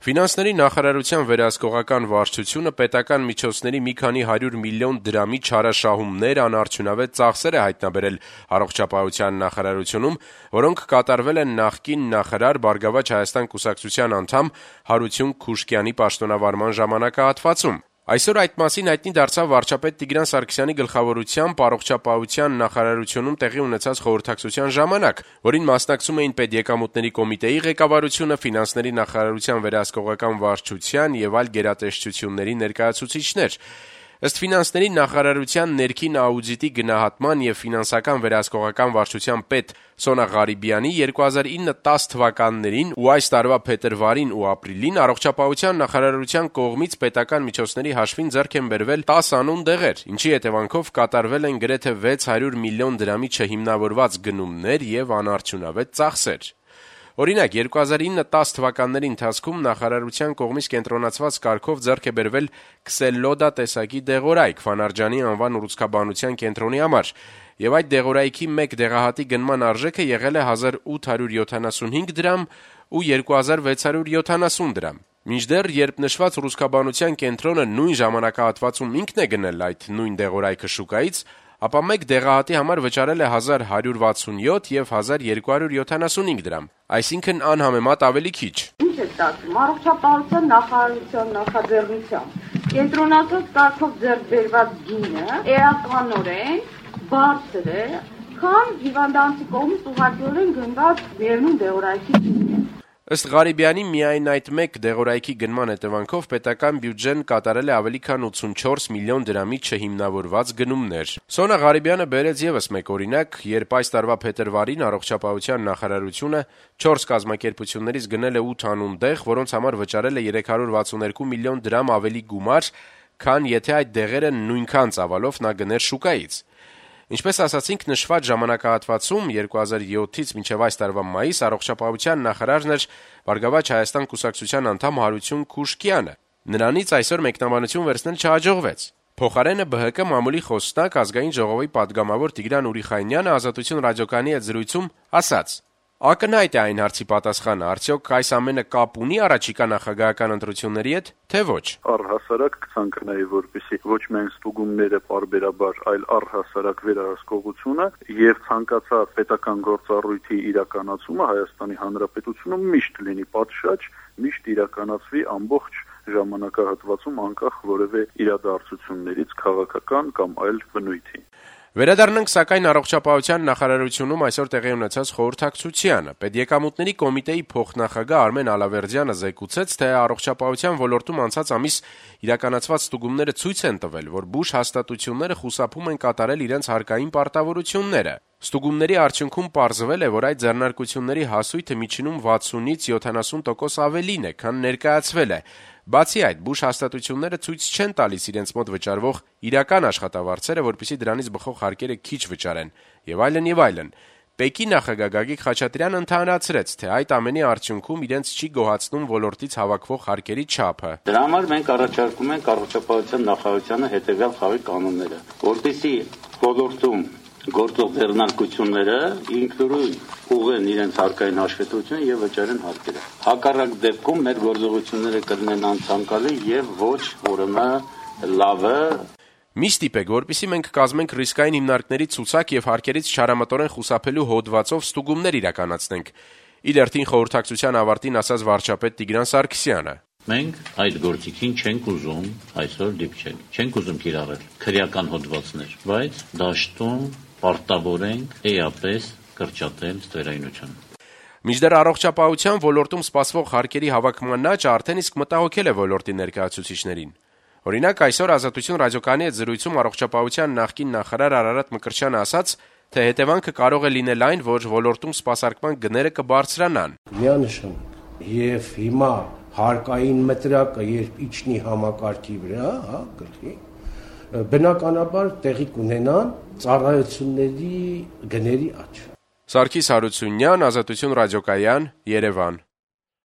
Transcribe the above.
Ֆինանսների նախարարության վերահսկողական վարչությունը պետական միջոցների մի քանի 100 միլիոն դրամի չարաշահումներ, անարդյունավետ ծախսեր է հայտնաբերել առողջապահության նախարարությունում, որոնք կատարվել են նախկին նախարար «Բարգավաճ Հայաստան» կուսակցության անդամ Հարություն Քուշկյանի պաշտոնավարման ժամանակահատվածում։ Այսօր այդ մասին հայտնի դարձավ վարչապետ Տիգրան Սարգսյանի գլխավորությամբ առողջապահության նախարարությունում տեղի ունեցած խորհրդակցության ժամանակ, որին մասնակցում էին պետեկամուտների կոմիտեի ղեկավարությունը, ֆինանսների նախարարության վերահսկողական վարչության եւ այլ գերատեսչությունների ներկայացուցիչներ։ Ըստ ֆինանսների նախարարության ներքին աուդիտի գնահատման եւ ֆինանսական վերահսկողական վարչության պետ Սոնա Ղարիբյանի 2009-10 թվականներին ու այս տարվա փետրվարին ու ապրիլին առողջապահության նախարարության կողմից պետական միջոցների հաշվին ձեռք են բերվել 10 անուն դեղեր, ինչի հետևանքով կատարվել են գրեթե 600 միլիոն դրամի չհիմնավորված գնումներ եւ անարդյունավետ ծախսեր։ Օրինակ, 2009-10 թվականների ընթացքում նախարարության կողմից կենտրոնացված կարգով ձեռք է բերվել Քսելլոդա տեսակի դեղորայք Ֆանարջանի անվան ուռուցքաբանության կենտրոնի համար, եւ այդ դեղորայքի մեկ դեղահատի գնման արժեքը եղել է 1875 դրամ ու 2670 դրամ։ Մինչդեռ, երբ նշված ուռուցքաբանության կենտրոնը նույն ժամանակահատվածում ինքն է գնել այդ նույն դեղորայքը շուկայից, ապա մեկ դեղահատի համար վճարել է 1167 եւ 1275 դրամ, այսինքն անհամեմատ ավելի քիչ։ Ինչ է ստացվում, առողջապահության նախարարության նախաձեռնությամբ կենտրոնացած կարգով ձեռք բերված գինը էականորեն բարձր է, քան հիվանդանոցի կողմից ուղղակիորեն գնված միևնույն դեղորայքի գինը։ Ըստ Ղարիբյանի, միայն այդ մեկ դեղորայքի գնման հետևանքով պետական բյուջեն կատարել է ավելի քան 84 միլիոն դրամի չհիմնավորված գնումներ։ Սոնա Ղարիբյանը բերեց եւս մեկ օրինակ, երբ այս տարվա փետրվարին առողջապահության նախարարությունը 4 կազմակերպություններից գնել է 8 անուն դեղ, որոնց համար վճարել է 362 միլիոն դրամ ավելի գումար, քան եթե այդ դեղերը նույնքան ծավալով նա գներ շուկայից։ Ինչպես ասացինք, նշված ժամանակահատվածում 2007-ից մինչև այս տարվա մայիս առողջապահության նախարարն էր Բարգավաճ Հայաստան կուսակցության անդամ Հարություն Քուշկյանը։ Նրանից այսօր մեկնաբանություն վերցնել չհաջողվեց։ Փոխարենը ԲՀԿ մամուլի խոսնակ ազգային ժողովի պատգամավոր Տիգրան Ուրիխանյանը Ազատություն ռադիոկայանի հետ զրույցում ասաց. Ակնհայտ է այն հարցի պատասխանը, արդյոք այս ամենը կապ ունի առաջիկա նախագահական ընտրությունների հետ, թե ոչ։ Առհասարակ կցանկանայի, որպեսզի ոչ միայն ստուգումները պարբերաբար, այլ առհասարակ վերահսկողությունը եւ ցանկացած պետական գործառույթի իրականացումը Հայաստանի Հանրապետությունում միշտ լինի պատշաճ, միշտ իրականացվի ամբողջ ժամանակահատվածում անկախ որևէ իրադարձություններից, քաղաքական կամ այլ բնույթի։ Վերադառնանք սակայն առողջապահության նախարարությունում այսօր տեղի ունեցած խորհրդակցությանը։ Պետեկամուտների կոմիտեի փոխնախագահ Արմեն Ալավերդյանը զեկուցեց, թե առողջապահության ոլորտում անցած ամիս իրականացված ստուգումները ցույց են տվել, որ բուժ հաստատությունները խուսափում են կատարել իրենց հարկային պարտավորությունները։ Ստուգումների արդյունքում պարզվել է, որ այդ ձեռնարկությունների հասույթը միջինում 60-ից 70% ավելին է, քան ներկայացվել է։ Բացի այդ, բուժ հաստատությունները ցույց չեն տալիս իրենց մոտ վճարվող իրական աշխատավարձերը, որպեսզի դրանից բխող հարկերը քիչ վճարեն, եւ այլն եւ այլն։ ՊԵԿ-ի նախագահ Գագիկ Խաչատրյանը ընդհանրացրեց, թե այդ ամենի արդյունքում իրենց չի գոհացնում ոլորտից հավաքվող հարկերի չափը։ Դրա համար մենք առաջարկում ենք առողջապահության նախարարությանը հետեւյալ խաղի կանոնները, որպեսզի ոլորտում գործող ձեռնարկությունները ինքնուրույն ուղղեն իրենց հարկային հաշվետվությունը եւ վճարեն հարկերը։ Հակառակ դեպքում մեր գործողությունները կլինեն անցանկալի եւ ոչ ուրեմն լավը։ Մի ստիպեք, որպեսզի մենք կազմենք ռիսկային հիմնարկների ցուցակ եւ հարկերից չարամտորեն խուսափելու հոդվածով ստուգումներ իրականացնենք։ Իր հերթին խորհրդակցության ավարտին ասաց վարչապետ Տիգրան Սարգսյանը. Մենք այդ գործիքին չենք ուզում այսօր դիպչել, չենք ուզում կիրառել քրեական հոդվածներ, բայց դաշտում պարտավորենք էապես կրճատել ստվերայնությունը։ Մինչդեռ առողջապահության ոլորտում սպասվող հարկերի հավաքման աճը արդեն իսկ մտահոգել է ոլորտի ներկայացուցիչներին։ Օրինակ, այսօր Ազատություն ռադիոկայանի հետ զրույցում առողջապահության նախկին նախարար Արարատ Մկրտչյանը ասաց, թե հետևանքը կարող է լինել այն, որ ոլորտում սպասարկման գները կբարձրանան։ Միանշանակ եւ հիմա հարկային մտրակը երբ իջնի համակարգի վրա, գլխի, բնականաբար տեղի կունենան ծառայությունների գների աճ։ Սարգիս Հարությունյան, Ազատություն ռադիոկայան, Երևան։